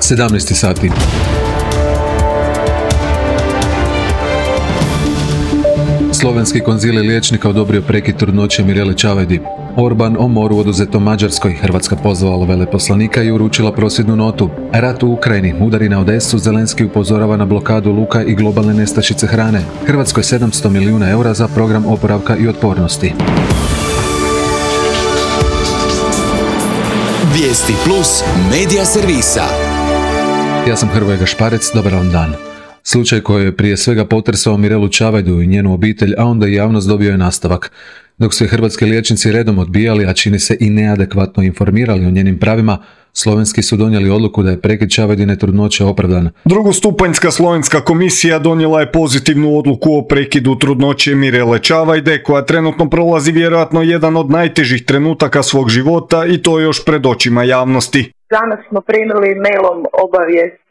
17 sati. Slovenski konzilij liječnika odobrio prekid trudnoće Mirele Čavajdi. Orban o moru oduzetom Mađarskoj. Hrvatska pozvala veleposlanika i uručila prosvjednu notu. Rat u Ukrajini, udari na Odesu, Zelenski upozorava na blokadu luka i globalne nestašice hrane. Hrvatskoj 700 milijuna eura za program oporavka i otpornosti. Vijesti plus medija servisa. Ja sam Hrvoje Gašparec, dobar vam dan. Slučaj koji je prije svega potresao Mirelu Čavajdu i njenu obitelj, a onda i javnost, dobio je nastavak. Dok su je hrvatski liječnici redom odbijali, a čini se i neadekvatno informirali o njenim pravima, slovenski su donijeli odluku da je prekid Čavajdine trudnoće opravdan. Drugostupanjska slovenska komisija donijela je pozitivnu odluku o prekidu trudnoće Mirele Čavajde, koja trenutno prolazi vjerojatno jedan od najtežih trenutaka svog života i to još pred očima javnosti. Danas smo primili mailom obavijest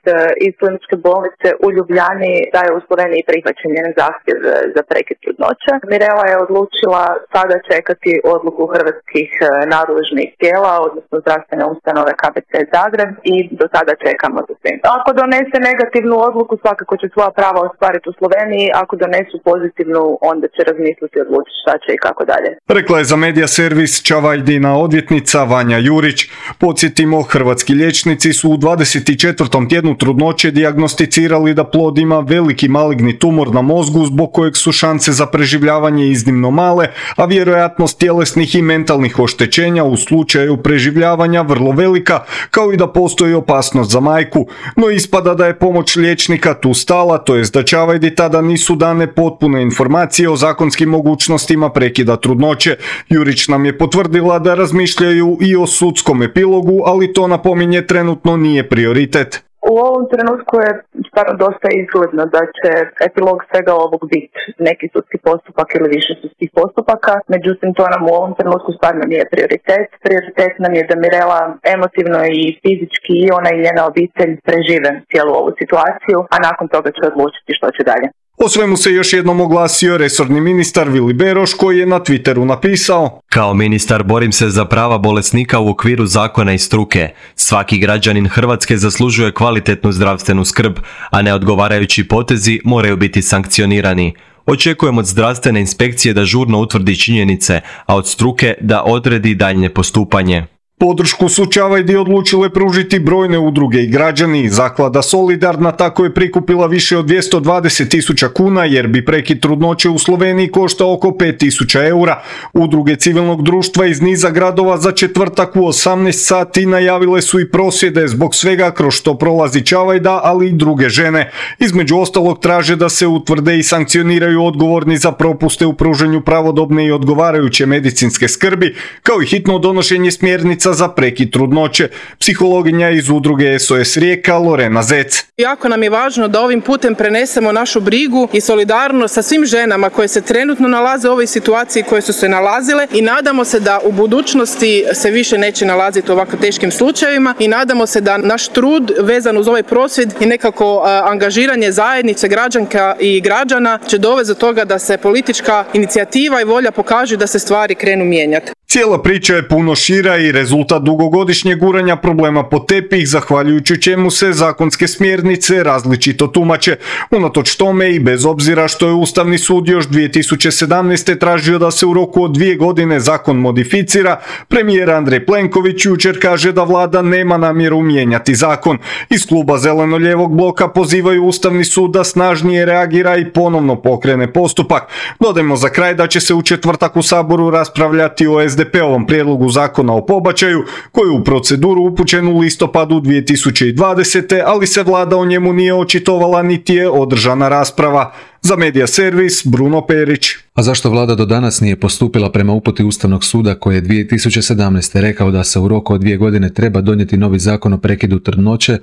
iz kliničke bolnice u Ljubljani da je u Sloveniji prihvaćen njen zahtjev za prekid trudnoće. Mirela je odlučila sada čekati odluku hrvatskih nadležnih tijela, odnosno zdravstvene ustanove KBC Zagreb, i do sada čekamo za svim. Ako donese negativnu odluku, svakako će svoja prava ostvariti u Sloveniji, ako donesu pozitivnu, onda će razmisliti i odlučiti šta će i kako dalje. Rekla je za medija servis Čavajdina odvjetnica Vanja Jurić. Podsjetimo, hrvatski liječnici su u 24. tjednu trudnoće dijagnosticirali da plod ima veliki maligni tumor na mozgu, zbog kojeg su šanse za preživljavanje iznimno male, a vjerojatnost tjelesnih i mentalnih oštećenja u slučaju preživljavanja vrlo velika, kao i da postoji opasnost za majku. No ispada da je pomoć liječnika tu stala, to jest da Čavajdi tada nisu dane potpune informacije o zakonskim mogućnostima prekida trudnoće. Jurić nam je potvrdila da razmišljaju i o sudskom epilogu, ali to, napominje, trenutno nije prioritet. U ovom trenutku je stvarno dosta izgledno da će epilog svega ovog biti neki sudski postupak ili više sudskih postupaka, međutim to nam u ovom trenutku stvarno nije prioritet. Prioritet nam je da Mirela emotivno i fizički i ona i njena obitelj prežive cijelu ovu situaciju, a nakon toga će odlučiti što će dalje. O svemu se još jednom oglasio resorni ministar Vili Beroš, koji je na Twitteru napisao: Kao ministar borim se za prava bolesnika u okviru zakona i struke. Svaki građanin Hrvatske zaslužuje kvalitetnu zdravstvenu skrb, a neodgovarajući potezi moraju biti sankcionirani. Očekujem od zdravstvene inspekcije da žurno utvrdi činjenice, a od struke da odredi daljnje postupanje. Podršku su Čavajdi odlučile pružiti brojne udruge i građani. Zaklada Solidarna tako je prikupila više od 220.000 kuna, jer bi prekid trudnoće u Sloveniji koštao oko 5.000 eura. Udruge civilnog društva iz niza gradova za četvrtak u 18 sati najavile su i prosvjede zbog svega kroz što prolazi Čavajda, ali i druge žene. Između ostalog traže da se utvrde i sankcioniraju odgovorni za propuste u pruženju pravodobne i odgovarajuće medicinske skrbi, kao i hitno donošenje smjernica za prekid trudnoće. Psihologinja iz udruge SOS Rijeka Lorena Zec. Jako nam je važno da ovim putem prenesemo našu brigu i solidarnost sa svim ženama koje se trenutno nalaze u ovoj situaciji, koje su se nalazile, i nadamo se da u budućnosti se više neće nalaziti u ovako teškim slučajevima, i nadamo se da naš trud vezan uz ovaj prosvjed i nekako angažiranje zajednice građanka i građana će dovesti do toga da se politička inicijativa i volja pokaže da se stvari krenu mijenjati. Cijela priča je puno šira i rezultat dugogodišnjeg guranja problema pod tepih, zahvaljujući čemu se zakonske smjernice različito tumače. Unatoč tome i bez obzira što je Ustavni sud još 2017. tražio da se u roku od 2 godine zakon modificira, premijer Andrej Plenković jučer kaže da vlada nema namjeru mijenjati zakon. Iz kluba Zeleno-lijevog bloka pozivaju Ustavni sud da snažnije reagira i ponovno pokrene postupak. Dodajmo za kraj da će se u četvrtak u Saboru raspravljati o SDP-ovom prijedlogu zakona o pobačaju, koji je u proceduru upućen u listopadu 2020. ali se vlada o njemu nije očitovala niti je održana rasprava. Za medija servis Bruno Perić. A zašto vlada do danas nije postupila prema uputi Ustavnog suda koji je 2017. rekao da se u roku od 2 godine treba donijeti novi zakon o prekidu trudnoće,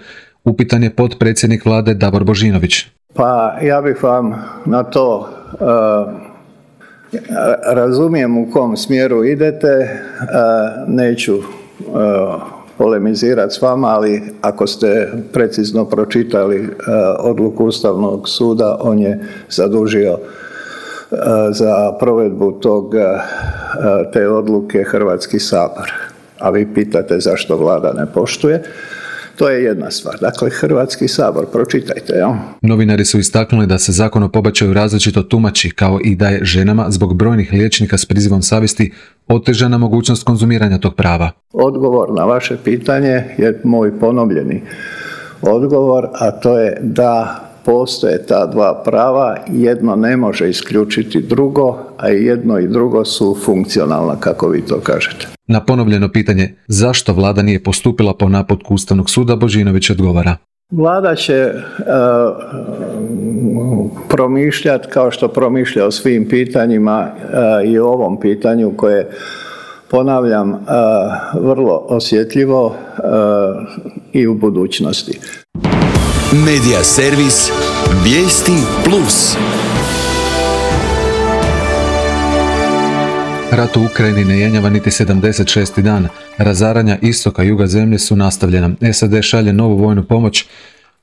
upitan je potpredsjednik vlade Davor Božinović. Pa ja bih vam na to razumijem u kom smjeru idete, neću polemizirati s vama, ali ako ste precizno pročitali odluku Ustavnog suda, on je zadužio za provedbu te odluke Hrvatski sabor. A vi pitate zašto vlada ne poštuje. To je jedna stvar. Dakle, Hrvatski sabor, pročitajte. Ja? Novinari su istaknuli da se zakon o pobačaju različito tumači, kao i da je ženama zbog brojnih liječnika s prizivom savjesti otežana mogućnost konzumiranja tog prava. Odgovor na vaše pitanje je moj ponovljeni odgovor, a to je da postoje ta dva prava, jedno ne može isključiti drugo, a jedno i drugo su funkcionalna, kako vi to kažete. Na ponovljeno pitanje zašto vlada nije postupila po naputku Ustavnog suda, Božinović odgovara. Vlada će promišljati kao što promišlja o svim pitanjima i o ovom pitanju koje, ponavljam, vrlo osjetljivo i u budućnosti. Medija servis Vijesti Plus. Rat u Ukrajini ne jenjava niti 76. dan. Razaranja istoka i juga zemlje su nastavljena. SAD šalje novu vojnu pomoć,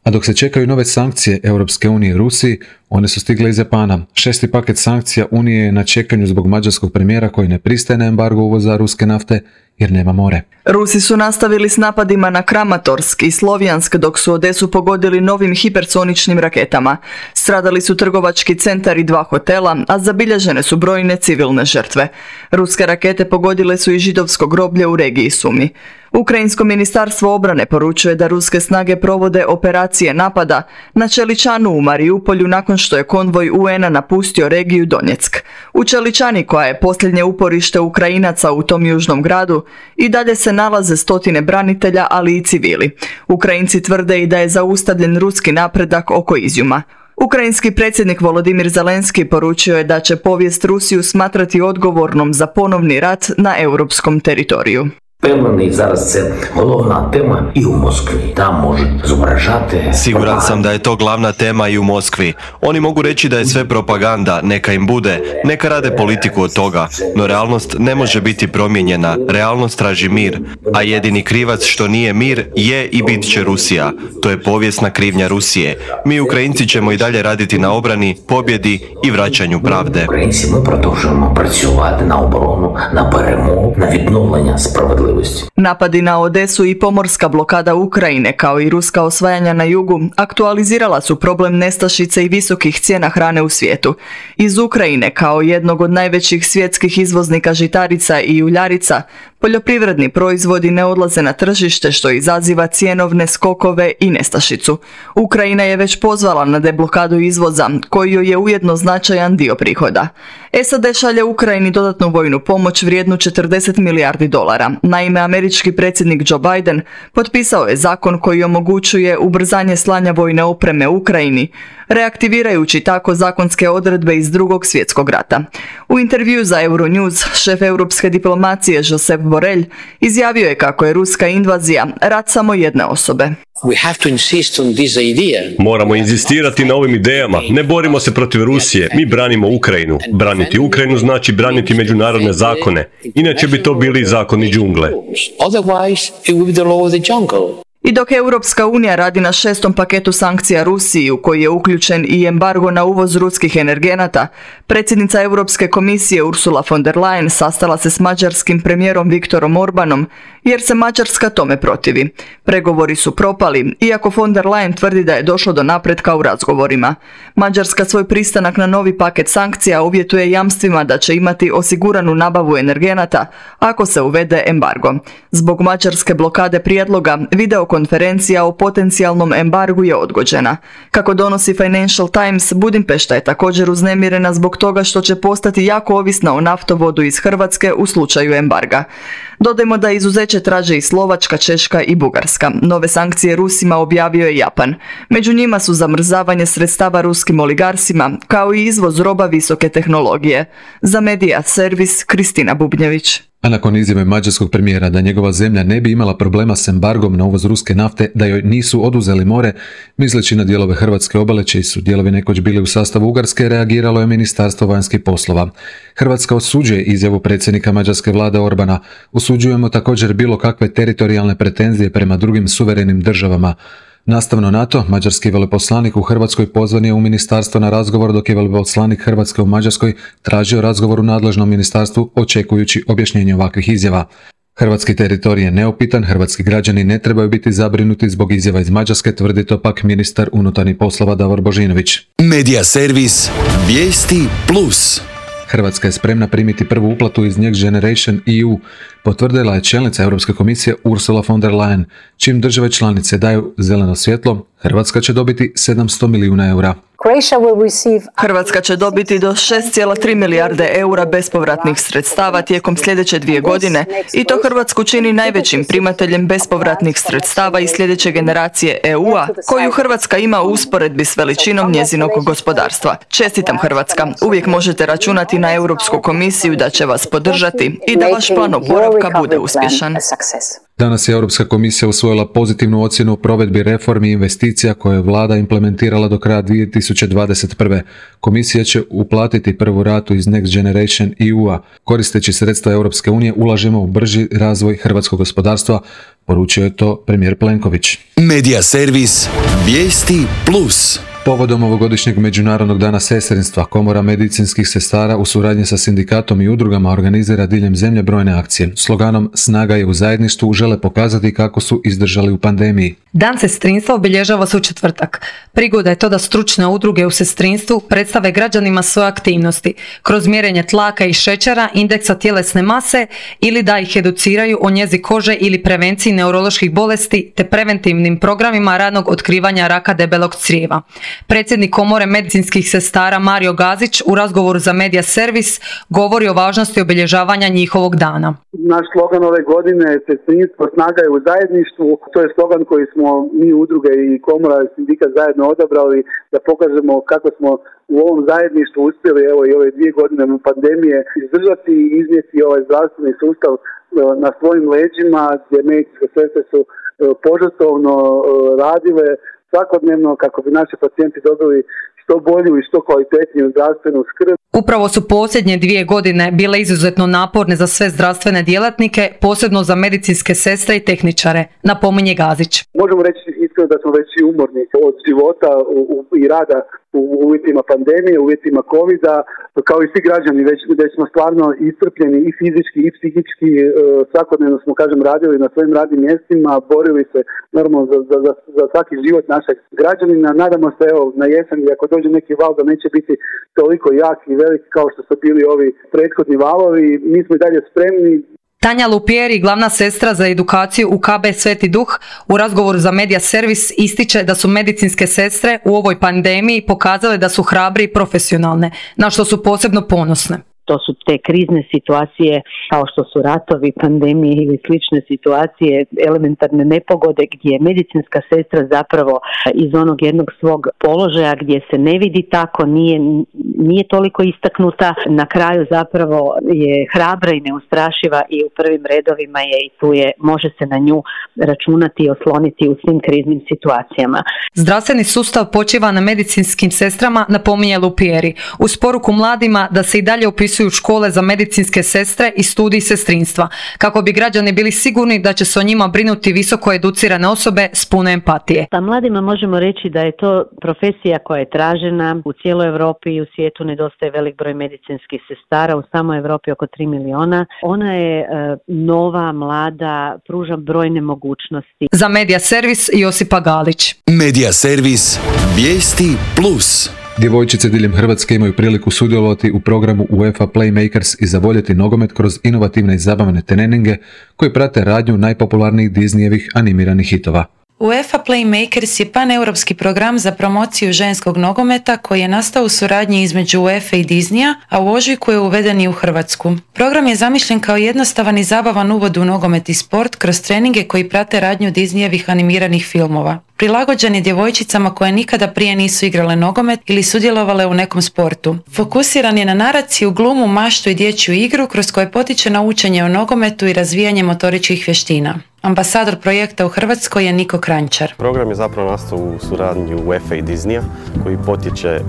a dok se čekaju nove sankcije Europske unije Rusiji, one su stigle iz Japana. 6. paket sankcija Unije je na čekanju zbog mađarskog premijera koji ne pristaje na embargo uvoza ruske nafte jer nema more. Rusi su nastavili s napadima na Kramatorsk i Slovjansk dok su Odesu pogodili novim hipersoničnim raketama. Stradali su trgovački centar i 2 hotela, a zabilježene su brojne civilne žrtve. Ruske rakete pogodile su i židovsko groblje u regiji Sumi. Ukrajinsko ministarstvo obrane poručuje da ruske snage provode operacije napada na Čeličanu u Marijupolju nakon što je konvoj UN-a napustio regiju Donjeck. U Čeličani, koja je posljednje uporište Ukrajinaca u tom južnom gradu, i dalje se nalaze stotine branitelja, ali i civili. Ukrajinci tvrde i da je zaustavljen ruski napredak oko Izjuma. Ukrajinski predsjednik Volodimir Zelenski poručio je da će povijest Rusiju smatrati odgovornom za ponovni rat na europskom teritoriju. Впевнений, зараз це головна тема і у Москві. Там можуть зображати. Siguran sam da je to glavna tema i u Moskvi. Oni mogu reći da je sve propaganda, neka im bude, neka rade politiku od toga, no realnost ne može biti promijenjena, realnost traži mir, a jedini krivac što nije mir je i bit će Rusija. To je povijesna krivnja Rusije. Mi Ukrajinci ćemo i dalje raditi na obrani, pobjedi i vraćanju pravde. Українці, ми продовжуємо працювати на оборону, на перемогу, на відновлення справедливості. Napadi na Odesu i pomorska blokada Ukrajine, kao i ruska osvajanja na jugu, aktualizirala su problem nestašice i visokih cijena hrane u svijetu. Iz Ukrajine, kao jednog od najvećih svjetskih izvoznika žitarica i uljarica, poljoprivredni proizvodi ne odlaze na tržište, što izaziva cjenovne skokove i nestašicu. Ukrajina je već pozvala na deblokadu izvoza, koji joj je ujedno značajan dio prihoda. SAD šalje Ukrajini dodatnu vojnu pomoć vrijednu $40 milijardi. Naime, američki predsjednik Joe Biden potpisao je zakon koji omogućuje ubrzanje slanja vojne opreme Ukrajini, reaktivirajući tako zakonske odredbe iz Drugog svjetskog rata. U intervju za Euronews, šef europske diplomacije Josep Borrell izjavio je kako je ruska invazija rat samo jedne osobe. Moramo inzistirati na ovim idejama. Ne borimo se protiv Rusije, mi branimo Ukrajinu. Braniti Ukrajinu znači braniti međunarodne zakone. Inače bi to bili zakoni džungle. I dok Europska unija radi na 6. paketu sankcija Rusiji, u koji je uključen i embargo na uvoz ruskih energenata, predsjednica Europske komisije Ursula von der Leyen sastala se s mađarskim premijerom Viktorom Orbanom, jer se Mađarska tome protivi. Pregovori su propali, iako von der Leyen tvrdi da je došlo do napretka u razgovorima. Mađarska svoj pristanak na novi paket sankcija uvjetuje jamstvima da će imati osiguranu nabavu energenata ako se uvede embargo. Zbog mađarske blokade prijedloga, videokonferencija o potencijalnom embargu je odgođena. Kako donosi Financial Times, Budimpešta je također uznemirena zbog toga što će postati jako ovisna o naftovodu iz Hrvatske u slučaju embarga. Dodajmo da izuzeće traže i Slovačka, Češka i Bugarska. Nove sankcije Rusima objavio je Japan. Među njima su zamrzavanje sredstava ruskim oligarsima, kao i izvoz roba visoke tehnologije. Za Medija servis Kristina Bubnjević. A nakon izjave mađarskog premijera da njegova zemlja ne bi imala problema s embargom na uvoz ruske nafte, da joj nisu oduzeli more, misleći na dijelove hrvatske obale čiji su dijelovi nekoć bili u sastavu Ugarske, reagiralo je Ministarstvo vanjskih poslova. Hrvatska osuđuje izjavu predsjednika mađarske vlade Orbana. Osuđujemo također bilo kakve teritorijalne pretenzije prema drugim suverenim državama. Nastavno na to, mađarski veleposlanik u Hrvatskoj pozvan je u ministarstvo na razgovor, dok je veleposlanik Hrvatske u Mađarskoj tražio razgovor u nadležnom ministarstvu očekujući objašnjenje ovakvih izjava. Hrvatski teritorij je neupitan, hrvatski građani ne trebaju biti zabrinuti zbog izjava iz Mađarske, tvrdi to pak ministar unutarnjih poslova Davor Božinović. Media servis Vijesti Plus. Hrvatska je spremna primiti prvu uplatu iz Next Generation EU, potvrdila je čelnica Europske komisije Ursula von der Leyen. Čim države članice daju zeleno svjetlo, Hrvatska će dobiti 700 milijuna eura. Hrvatska će dobiti do 6,3 milijarde eura bespovratnih sredstava tijekom sljedeće 2 godine i to Hrvatsku čini najvećim primateljem bespovratnih sredstava iz sljedeće generacije EU-a, koju Hrvatska ima u usporedbi s veličinom njezinog gospodarstva. Čestitam Hrvatska, uvijek možete računati na Europsku komisiju da će vas podržati i da vaš plan oporavka bude uspješan. Danas je Europska komisija usvojila pozitivnu ocjenu o provedbi reformi i investicija koje je vlada implementirala do kraja 2021. Komisija će uplatiti prvu ratu iz Next Generation EU-a. Koristeći sredstva Europske unije ulažemo u brži razvoj hrvatskog gospodarstva, poručio je to premijer Plenković. Media servis Vijesti Plus. Povodom ovogodišnjeg Međunarodnog dana sestrinstva, Komora medicinskih sestara u suradnji sa sindikatom i udrugama organizira diljem zemlje brojne akcije. Sloganom "Snaga je u zajedništvu" žele pokazati kako su izdržali u pandemiji. Dan sestrinstva obilježava se u četvrtak. Prigoda je to da stručne udruge u sestrinstvu predstave građanima svoje aktivnosti kroz mjerenje tlaka i šećera, indeksa tjelesne mase ili da ih educiraju o njezi kože ili prevenciji neuroloških bolesti te preventivnim programima ranog otkrivanja raka debelog crijeva. Predsjednik Komore medicinskih sestara Mario Gazić u razgovoru za Media servis govori o važnosti obilježavanja njihovog dana. Naš slogan ove godine je sestrinstvo, snaga je u zajedništvu. To je slogan koji smo mi udruge i Komora i sindikat zajedno odabrali da pokažemo kako smo u ovom zajedništvu uspjeli evo i ove 2 godine pandemije izdržati i iznijeti ovaj zdravstveni sustav na svojim leđima, gdje medicinske sestre su požrtvovno radile svakodnevno kako bi naši pacijenti dobili što bolju i što kvalitetniju zdravstvenu skrb. Upravo su posljednje 2 godine bile izuzetno naporne za sve zdravstvene djelatnike, posebno za medicinske sestre i tehničare, napominje Gazić. Možemo reći iskreno da smo već i umorni od života i rada u uvjetima pandemije, u uvjetima covida, kao i svi građani već smo stvarno iscrpljeni i fizički i psihički, svakodnevno smo radili na svojim radnim mjestima, borili se normalno za svaki život našeg građanina. Nadamo se na jesen, ako dođe neki val, da neće biti toliko jak i velik kao što su bili ovi prethodni valovi. Mi smo i dalje spremni. Tanja Lupieri, glavna sestra za edukaciju u KB Sveti Duh, u razgovoru za Media servis ističe da su medicinske sestre u ovoj pandemiji pokazale da su hrabre i profesionalne, na što su posebno ponosne. To su te krizne situacije kao što su ratovi, pandemije ili slične situacije, elementarne nepogode gdje je medicinska sestra zapravo iz onog jednog svog položaja gdje se ne vidi tako, nije toliko istaknuta. Na kraju zapravo je hrabra i neustrašiva i u prvim redovima je i tu je, može se na nju računati i osloniti u svim kriznim situacijama. Zdravstveni sustav počiva na medicinskim sestrama, napominje Lupieri, uz poruku mladima da se i dalje upisuju u škole za medicinske sestre i studij sestrinstva, kako bi građani bili sigurni da će se o njima brinuti visoko educirane osobe s puno empatije. Pa mladima možemo reći da je to profesija koja je tražena u cijeloj Europi i u svijetu. Nedostaje velik broj medicinskih sestara, u samoj Europi oko 3 miliona. Ona je nova, mlada, pruža brojne mogućnosti. Za Media servis Josipa Galić. Media servis Vijesti Plus. Djevojčice diljem Hrvatske imaju priliku sudjelovati u programu UEFA Playmakers i zavoljeti nogomet kroz inovativne i zabavne treninge koji prate radnju najpopularnijih Disneyevih animiranih hitova. UEFA Playmakers je paneuropski program za promociju ženskog nogometa koji je nastao u suradnji između UEFA i Disneya, a u ožujku je uveden i u Hrvatsku. Program je zamišljen kao jednostavan i zabavan uvod u nogomet i sport kroz treninge koji prate radnju Disneyevih animiranih filmova. Prilagođen je djevojčicama koje nikada prije nisu igrale nogomet ili sudjelovale u nekom sportu. Fokusiran je na naraciju, glumu, maštu i dječju igru kroz koje potiče na učenje o nogometu i razvijanje motoričkih vještina. Ambasador projekta u Hrvatskoj je Niko Kranjčar. Program je zapravo nastao u suradnji UEFA i Disneya, koji potječe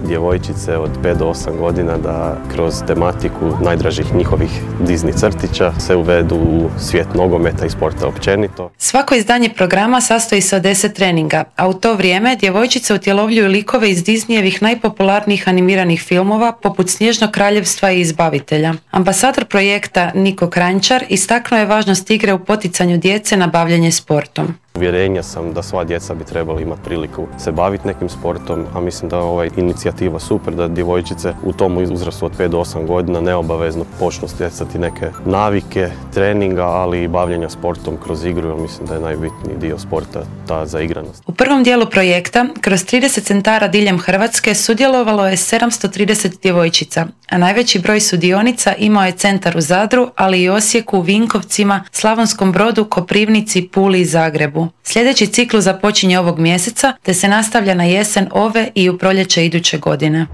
djevojčice od 5 do 8 godina da kroz tematiku najdražih njihovih Disney crtića se uvedu u svijet nogometa i sporta općenito. Svako izdanje programa sastoji se od 10 treninga, a u to vrijeme djevojčice utjelovljuju likove iz Disneyevih najpopularnijih animiranih filmova poput Snježnog kraljevstva i Izbavitelja. Ambasador projekta Niko Kranjčar istaknuo je važnost igre u poticanju djece na bavljanje sportom. Uvjerenja sam da sva djeca bi trebali imati priliku se baviti nekim sportom, a mislim da je ova inicijativa super, da djevojčice u tom uzrastu od 5 do 8 godina neobavezno počnu stjecati neke navike, treninga, ali i bavljenja sportom kroz igru, jer mislim da je najbitniji dio sporta ta zaigranost. U prvom dijelu projekta, kroz 30 centara diljem Hrvatske sudjelovalo je 730 djevojčica, a najveći broj sudionica imao je centar u Zadru, ali i Osijeku, Vinkovcima, Slavonskom Brodu, Koprivnici, Puli i Zagrebu. Sljedeći ciklus započinje ovog mjeseca, te se nastavlja na jesen ove i u proljeće iduće godine.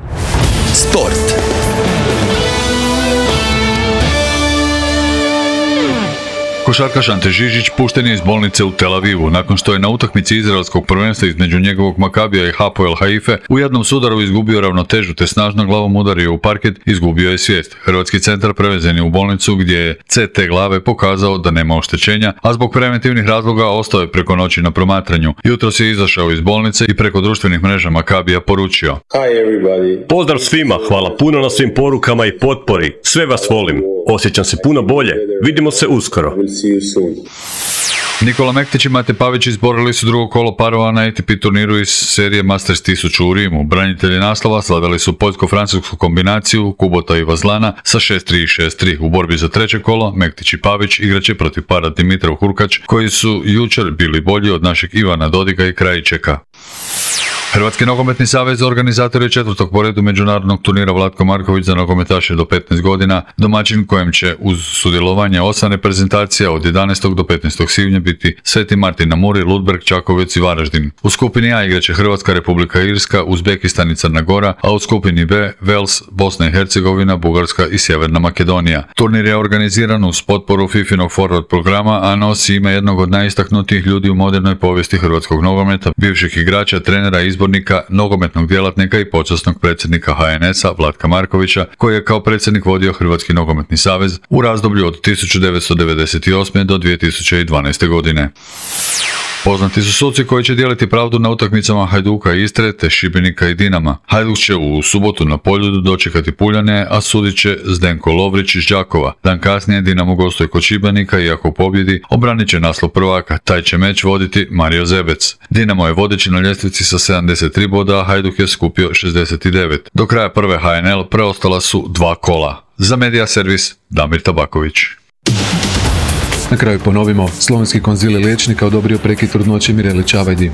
Sport. Košarkaš Ante Žižić pušten je iz bolnice u Tel Avivu nakon što je na utakmici izraelskog prvenstva između njegovog Makabija i Hapoel Haife u jednom sudaru izgubio ravnotežu te snažno glavom udario u parket, izgubio je svijest. Hrvatski centar prevezen je u bolnicu gdje je CT glave pokazao da nema oštećenja, a zbog preventivnih razloga ostao je preko noći na promatranju. Jutros je izašao iz bolnice i preko društvenih mreža Makabija poručio: Pozdrav svima, hvala puno na svim porukama i potpori. Sve vas volim. Osjećam se puno bolje. Vidimo se uskoro. Nikola Mektić i Mate Pavić izborili su drugo kolo parova na ATP turniru iz serije Masters 1000 u Rimu. Branitelji naslova slavili su poljsko-francusku kombinaciju Kubota i Vazlana sa 6-3 i 6-3. U borbi za treće kolo Mektić i Pavić igraće protiv para Dimitrov Hurkač, koji su jučer bili bolji od našeg Ivana Dodiga i Krajičeka. Hrvatski nogometni savez organizator je 4. po redu međunarodnog turnira Vlatko Marković za nogometaše do 15 godina, domaćin kojem će uz sudjelovanje 8 reprezentacija od 11. do 15. svibnja biti Sveti Martin na Muri, Ludbreg, Čakovec i Varaždin. U skupini A igraće Hrvatska, Republika Irska, Uzbekistan i Crna Gora, a u skupini B Vels, Bosna i Hercegovina, Bugarska i Sjeverna Makedonija. Turnir je organiziran uz potporu FIFInog forward programa, a nosi ime jednog od najistaknutijih ljudi u modernoj povijesti hrvatskog nogometa, bivših igrača, trenera, izbornika, nogometnog djelatnika i počasnog predsjednika HNS-a Vlatka Markovića, koji je kao predsjednik vodio Hrvatski nogometni savez u razdoblju od 1998. do 2012. godine. Poznati su suci koji će dijeliti pravdu na utakmicama Hajduka i Istre te Šibenika i Dinama. Hajduk će u subotu na Poljudu dočekati Puljane, a sudit će Zdenko Lovrić iz Đakova. Dan kasnije Dinamo gostuje kod Šibenika i ako pobjedi, obranit će naslov prvaka. Taj će meč voditi Mario Zebec. Dinamo je vodeći na ljestvici sa 73 boda, a Hajduk je skupio 69. Do kraja prve HNL preostala su 2 kola. Za Medija servis Damir Tabaković. Na kraju ponovimo, slovenski konzilij liječnika odobrio prekid trudnoće Mirele Čavajdi.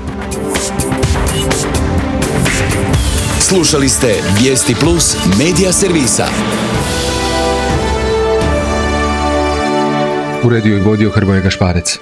Slušali ste Vijesti Plus Medija servisa. Uredio i vodio Hrvoje Gašparec.